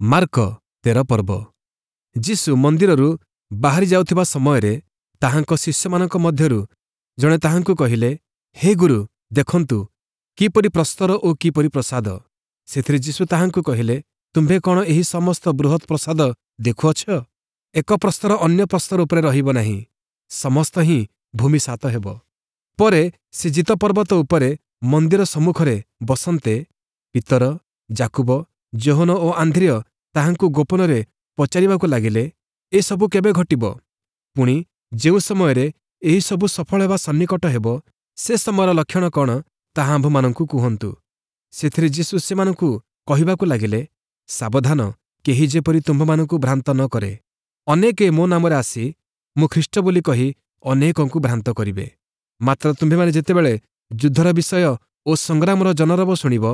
Mark 13 ପର୍ବ। ଯୀଶୁ ମନ୍ଦିରରୁ ବାହାରି ଯାଉଥିବା ସମୟରେ ତାହାଙ୍କ ଶିଷ୍ୟମାନଙ୍କ ମଧ୍ୟରୁ ଜଣେ ତାହାଙ୍କୁ କହିଲେ, ହେ ଗୁରୁ, ଦେଖନ୍ତୁ, କିପରି ପ୍ରସ୍ତର ଓ କିପରି ପ୍ରାସାଦ! ସେଥିରେ ଯୀଶୁ ତାହାଙ୍କୁ କହିଲେ, ତୁମ୍ଭେ କ'ଣ ଏହି ସମସ୍ତ ବୃହତ୍ ପ୍ରାସାଦ ଦେଖୁଅଛ? ଏକ ପ୍ରସ୍ତର ଅନ୍ୟ ପ୍ରସ୍ତର ଉପରେ ରହିବ ନାହିଁ, ସମସ୍ତ ହିଁ ଭୂମିସାତ ହେବ। ପରେ ସେ ଜିତ ପର୍ବତ ଉପରେ ମନ୍ଦିର ସମ୍ମୁଖରେ ବସନ୍ତେ ପିତର, ଯାକୁବ, ଯୋହନ ଓ ଆନ୍ଦ୍ରିୟ ତାହାଙ୍କୁ ଗୋପନରେ ପଚାରିବାକୁ ଲାଗିଲେ, ଏସବୁ କେବେ ଘଟିବ? ପୁଣି ଯେଉଁ ସମୟରେ ଏହିସବୁ ସଫଳ ହେବା ସନ୍ନିକଟ ହେବ, ସେ ସମୟର ଲକ୍ଷଣ କ'ଣ, ତାହା ଆମ୍ଭମାନଙ୍କୁ କୁହନ୍ତୁ। ସେଥିରେ ଯୀଶୁ ସେମାନଙ୍କୁ କହିବାକୁ ଲାଗିଲେ, ସାବଧାନ, କେହି ଯେପରି ତୁମ୍ଭମାନଙ୍କୁ ଭ୍ରାନ୍ତ ନ କରେ। ଅନେକେ ମୋ ନାମରେ ଆସି ମୁଁ ଖ୍ରୀଷ୍ଟ ବୋଲି କହି ଅନେକଙ୍କୁ ଭ୍ରାନ୍ତ କରିବେ। ମାତ୍ର ତୁମ୍ଭେମାନେ ଯେତେବେଳେ ଯୁଦ୍ଧର ବିଷୟ ଓ ସଂଗ୍ରାମର ଜନରବ ଶୁଣିବ,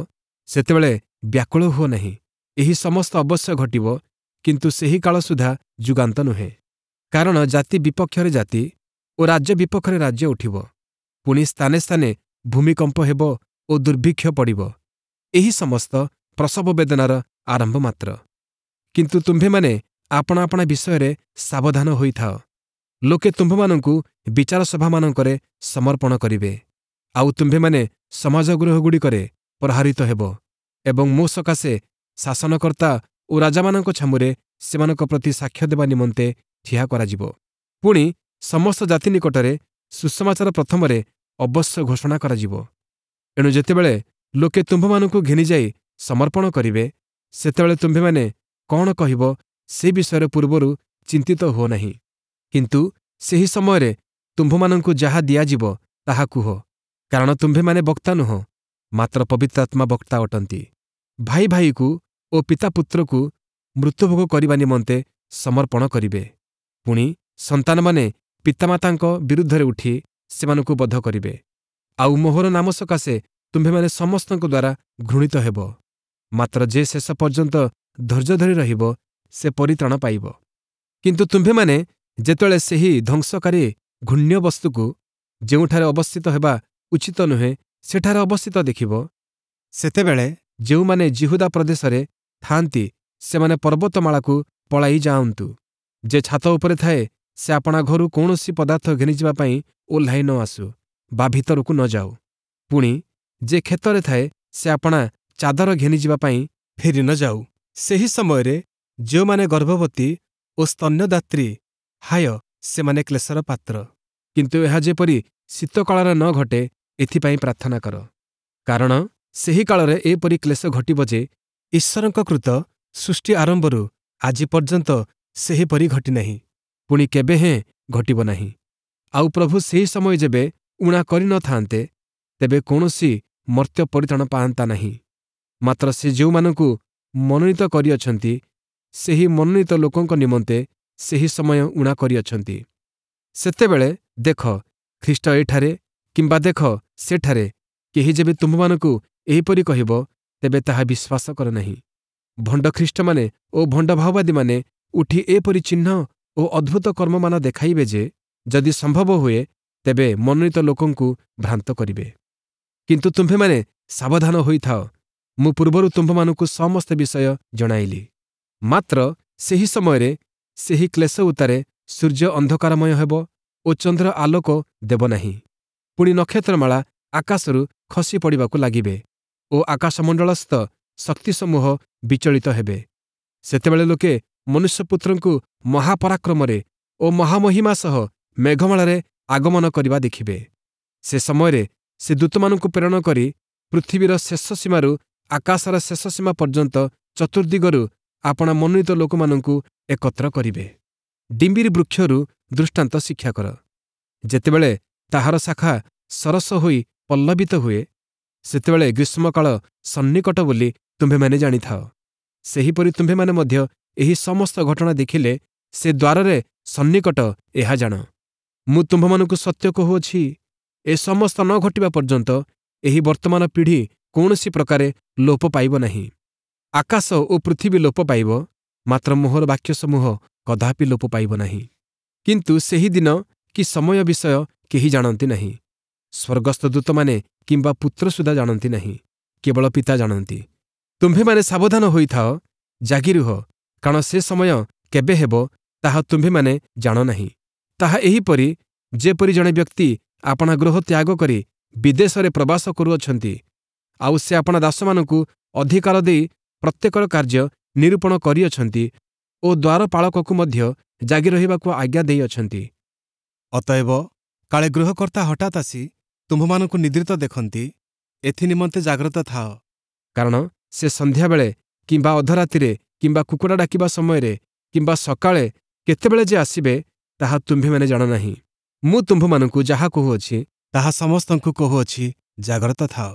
ସେତେବେଳେ ବ୍ୟାକୁଳ ହୁଅ ନାହିଁ। ଏହି ସମସ୍ତ ଅବଶ୍ୟ ଘଟିବ, କିନ୍ତୁ ସେହି କାଳ ସୁଦ୍ଧା ଯୁଗାନ୍ତ ନୁହେଁ। କାରଣ ଜାତି ବିପକ୍ଷରେ ଜାତି ଓ ରାଜ୍ୟ ବିପକ୍ଷରେ ରାଜ୍ୟ ଉଠିବ। ପୁଣି ସ୍ଥାନେ ସ୍ଥାନେ ଭୂମିକମ୍ପ ହେବ ଓ ଦୁର୍ଭିକ୍ଷ ପଡ଼ିବ। ଏହି ସମସ୍ତ ପ୍ରସବ ବେଦନାର ଆରମ୍ଭ ମାତ୍ର। କିନ୍ତୁ ତୁମ୍ଭେମାନେ ଆପଣା ଆପଣା ବିଷୟରେ ସାବଧାନ ହୋଇଥାଅ। ଲୋକେ ତୁମ୍ଭମାନଙ୍କୁ ବିଚାର ସଭାମାନଙ୍କରେ ସମର୍ପଣ କରିବେ, ଆଉ ତୁମ୍ଭେମାନେ ସମାଜଗୃହଗୁଡ଼ିକରେ ପ୍ରହାରିତ ହେବ ଏବଂ ମୋ ସକାଶେ ଶାସନକର୍ତ୍ତା ଓ ରାଜାମାନଙ୍କ ଛାମୁରେ ସେମାନଙ୍କ ପ୍ରତି ସାକ୍ଷ୍ୟ ଦେବା ନିମନ୍ତେ ଠିଆ କରାଯିବ। ପୁଣି ସମସ୍ତ ଜାତି ନିକଟରେ ସୁସମାଚାର ପ୍ରଥମରେ ଅବଶ୍ୟ ଘୋଷଣା କରାଯିବ। ଏଣୁ ଯେତେବେଳେ ଲୋକେ ତୁମ୍ଭମାନଙ୍କୁ ଘେନିଯାଇ ସମର୍ପଣ କରିବେ, ସେତେବେଳେ ତୁମ୍ଭେମାନେ କ'ଣ କହିବ ସେ ବିଷୟରେ ପୂର୍ବରୁ ଚିନ୍ତିତ ହୁଅ ନାହିଁ। କିନ୍ତୁ ସେହି ସମୟରେ ତୁମ୍ଭମାନଙ୍କୁ ଯାହା ଦିଆଯିବ ତାହା କୁହ, କାରଣ ତୁମ୍ଭେମାନେ ବକ୍ତା ନୁହଁ, ମାତ୍ର ପବିତ୍ରାତ୍ମା ବକ୍ତା ଅଟନ୍ତି। ଭାଇ ଭାଇକୁ ଓ ପିତା ପୁତ୍ରକୁ ମୃତ୍ୟୁଭୋଗ କରିବା ନିମନ୍ତେ ସମର୍ପଣ କରିବେ। ପୁଣି ସନ୍ତାନମାନେ ପିତାମାତାଙ୍କ ବିରୁଦ୍ଧରେ ଉଠି ସେମାନଙ୍କୁ ବଧ କରିବେ। ଆଉ ମୋହର ନାମ ସକାଶେ ତୁମ୍ଭେମାନେ ସମସ୍ତଙ୍କ ଦ୍ୱାରା ଘୃଣିତ ହେବ। ମାତ୍ର ଯେ ଶେଷ ପର୍ଯ୍ୟନ୍ତ ଧୈର୍ଯ୍ୟ ଧରି ରହିବ, ସେ ପରିତ୍ରାଣ ପାଇବ। କିନ୍ତୁ ତୁମ୍ଭେମାନେ ଯେତେବେଳେ ସେହି ଧ୍ୱଂସକାରୀ ଘୃଣ୍ୟ ବସ୍ତୁକୁ ଯେଉଁଠାରେ ଅବସ୍ଥିତ ହେବା ଉଚିତ ନୁହେଁ ସେଠାରେ ଅବସ୍ଥିତ ଦେଖିବ, ସେତେବେଳେ ଯେଉଁମାନେ ଯିହୁଦା ପ୍ରଦେଶରେ ଥାଆନ୍ତି ସେମାନେ ପର୍ବତମାଳାକୁ ପଳାଇ ଯାଆନ୍ତୁ। ଯେ ଛାତ ଉପରେ ଥାଏ ସେ ଆପଣା ଘରୁ କୌଣସି ପଦାର୍ଥ ଘେନିଯିବା ପାଇଁ ଓହ୍ଲାଇ ନ ଆସୁ ବା ଭିତରକୁ ନ ଯାଉ। ପୁଣି ଯେ କ୍ଷେତରେ ଥାଏ ସେ ଆପଣା ଚାଦର ଘେନିଯିବା ପାଇଁ ଫେରି ନ ଯାଉ। ସେହି ସମୟରେ ଯେଉଁମାନେ ଗର୍ଭବତୀ ଓ ସ୍ତନ୍ୟଦାତ୍ରୀ, ହାୟ, ସେମାନେ କ୍ଲେଶର ପାତ୍ର। କିନ୍ତୁ ଏହା ଯେପରି ଶୀତକାଳରେ ନ ଘଟେ, ଏଥିପାଇଁ ପ୍ରାର୍ଥନା କର। କାରଣ ସେହି କାଳରେ ଏପରି କ୍ଲେଶ ଘଟିବ ଯେ ଈଶ୍ୱରଙ୍କ କୃତ ସୃଷ୍ଟି ଆରମ୍ଭରୁ ଆଜି ପର୍ଯ୍ୟନ୍ତ ସେହିପରି ଘଟିନାହିଁ, ପୁଣି କେବେ ହେଁ ଘଟିବ ନାହିଁ। ଆଉ ପ୍ରଭୁ ସେହି ସମୟ ଯେବେ ଊଣା କରିନଥାନ୍ତେ, ତେବେ କୌଣସି ମର୍ତ୍ତ୍ୟ ପରିତ୍ରାଣ ପାଆନ୍ତା ନାହିଁ। ମାତ୍ର ସେ ଯେଉଁମାନଙ୍କୁ ମନୋନୀତ କରିଅଛନ୍ତି, ସେହି ମନୋନୀତ ଲୋକଙ୍କ ନିମନ୍ତେ ସେହି ସମୟ ଊଣା କରିଅଛନ୍ତି। ସେତେବେଳେ ଦେଖ, ଖ୍ରୀଷ୍ଟ ଏଠାରେ କିମ୍ବା ଦେଖ, ସେଠାରେ, କେହି ଯେବେ ତୁମ୍ଭମାନଙ୍କୁ ଏହିପରି କହିବ, ତେବେ ତାହା ବିଶ୍ୱାସ କର ନାହିଁ। ଭଣ୍ଡ ଖ୍ରୀଷ୍ଟମାନେ ଓ ଭଣ୍ଡ ଭାଓବାଦୀମାନେ ଉଠି ଏପରି ଚିହ୍ନ ଓ ଅଦ୍ଭୁତ କର୍ମମାନ ଦେଖାଇବେ ଯେ ଯଦି ସମ୍ଭବ ହୁଏ, ତେବେ ମନୋନୀତ ଲୋକଙ୍କୁ ଭ୍ରାନ୍ତ କରିବେ। କିନ୍ତୁ ତୁମ୍ଭେମାନେ ସାବଧାନ ହୋଇଥାଅ, ମୁଁ ପୂର୍ବରୁ ତୁମ୍ଭମାନଙ୍କୁ ସମସ୍ତ ବିଷୟ ଜଣାଇଲି। ମାତ୍ର ସେହି ସମୟରେ ସେହି କ୍ଲେଶ ଉତ୍ତାରେ ସୂର୍ଯ୍ୟ ଅନ୍ଧକାରମୟ ହେବ ଓ ଚନ୍ଦ୍ର ଆଲୋକ ଦେବ ନାହିଁ। ପୁଣି ନକ୍ଷତ୍ରମାଳା ଆକାଶରୁ ଖସି ପଡ଼ିବାକୁ ଲାଗିବେ ଓ ଆକାଶମଣ୍ଡଳସ୍ଥ ଶକ୍ତିସମୂହ ବିଚଳିତ ହେବେ। ସେତେବେଳେ ଲୋକେ ମନୁଷ୍ୟପୁତ୍ରଙ୍କୁ ମହାପରାକ୍ରମରେ ଓ ମହାମହିମା ସହ ମେଘମାଳାରେ ଆଗମନ କରିବା ଦେଖିବେ। ସେ ସମୟରେ ସେ ଦୂତମାନଙ୍କୁ ପ୍ରେରଣ କରି ପୃଥିବୀର ଶେଷ ସୀମାରୁ ଆକାଶର ଶେଷ ସୀମା ପର୍ଯ୍ୟନ୍ତ ଚତୁର୍ଦ୍ଦିଗରୁ ଆପଣା ମନୋନୀତ ଲୋକମାନଙ୍କୁ ଏକତ୍ର କରିବେ। ଡିମ୍ବିରି ବୃକ୍ଷରୁ ଦୃଷ୍ଟାନ୍ତ ଶିକ୍ଷା କର। ଯେତେବେଳେ ତାହାର ଶାଖା ସରସ ହୋଇ ପଲ୍ଲବିତ ହୁଏ, ସେତେବେଳେ ଗ୍ରୀଷ୍ମକାଳ ସନ୍ନିକଟ ବୋଲି ତୁମ୍ଭେମାନେ ଜାଣିଥାଅ। ସେହିପରି ତୁମ୍ଭେମାନେ ମଧ୍ୟ ଏହି ସମସ୍ତ ଘଟଣା ଦେଖିଲେ ସେ ଦ୍ୱାରରେ ସନ୍ନିକଟ, ଏହା ଜାଣ। ମୁଁ ତୁମ୍ଭମାନଙ୍କୁ ସତ୍ୟ କହୁଅଛି, ଏ ସମସ୍ତ ନ ଘଟିବା ପର୍ଯ୍ୟନ୍ତ ଏହି ବର୍ତ୍ତମାନ ପିଢ଼ି କୌଣସି ପ୍ରକାରେ ଲୋପ ପାଇବ ନାହିଁ। ଆକାଶ ଓ ପୃଥିବୀ ଲୋପ ପାଇବ, ମାତ୍ର ମୋହର ବାକ୍ୟସମୂହ କଦାପି ଲୋପ ପାଇବ ନାହିଁ। କିନ୍ତୁ ସେହି ଦିନ କି ସମୟ ବିଷୟ କେହି ଜାଣନ୍ତି ନାହିଁ, ସ୍ୱର୍ଗସ୍ଥ ଦୂତମାନେ କିମ୍ବା ପୁତ୍ର ସୁଦ୍ଧା ଜାଣନ୍ତି ନାହିଁ, କେବଳ ପିତା ଜାଣନ୍ତି। ତୁମ୍ଭେମାନେ ସାବଧାନ ହୋଇଥାଅ। ଜାଗି ରୁହ, କାରଣ ସେ ସମୟ କେବେ ହେବ ତାହା ତୁମ୍ଭେମାନେ ଜାଣ ନାହିଁ। ତାହା ଏହିପରି, ଯେପରି ଜଣେ ବ୍ୟକ୍ତି ଆପଣା ଗୃହ ତ୍ୟାଗ କରି ବିଦେଶରେ ପ୍ରବାସ କରୁଅଛନ୍ତି, ଆଉ ସେ ଆପଣା ଦାସମାନଙ୍କୁ ଅଧିକାର ଦେଇ ପ୍ରତ୍ୟେକର କାର୍ଯ୍ୟ ନିରୂପଣ କରିଅଛନ୍ତି ଓ ଦ୍ୱାରପାଳକକୁ ମଧ୍ୟ ଜାଗି ରହିବାକୁ ଆଜ୍ଞା ଦେଇଅଛନ୍ତି। ଅତଏବ କାଳେ ଗୃହକର୍ତ୍ତା ହଠାତ୍ ଆସି ତୁମ୍ଭମାନଙ୍କୁ ନିଦ୍ରିତ ଦେଖନ୍ତି, ଏଥି ନିମନ୍ତେ ଜାଗ୍ରତ ଥାଅ। କାରଣ ସେ ସନ୍ଧ୍ୟାବେଳେ କିମ୍ବା ଅଧରାତିରେ କିମ୍ବା କୁକୁଡ଼ା ଡାକିବା ସମୟରେ କିମ୍ବା ସକାଳେ କେତେବେଳେ ଯେ ଆସିବେ, ତାହା ତୁମ୍ଭେମାନେ ଜାଣ ନାହିଁ। ମୁଁ ତୁମ୍ଭମାନଙ୍କୁ ଯାହା କହୁଅଛି, ତାହା ସମସ୍ତଙ୍କୁ କହୁଅଛି, ଜାଗ୍ରତ ଥାଅ।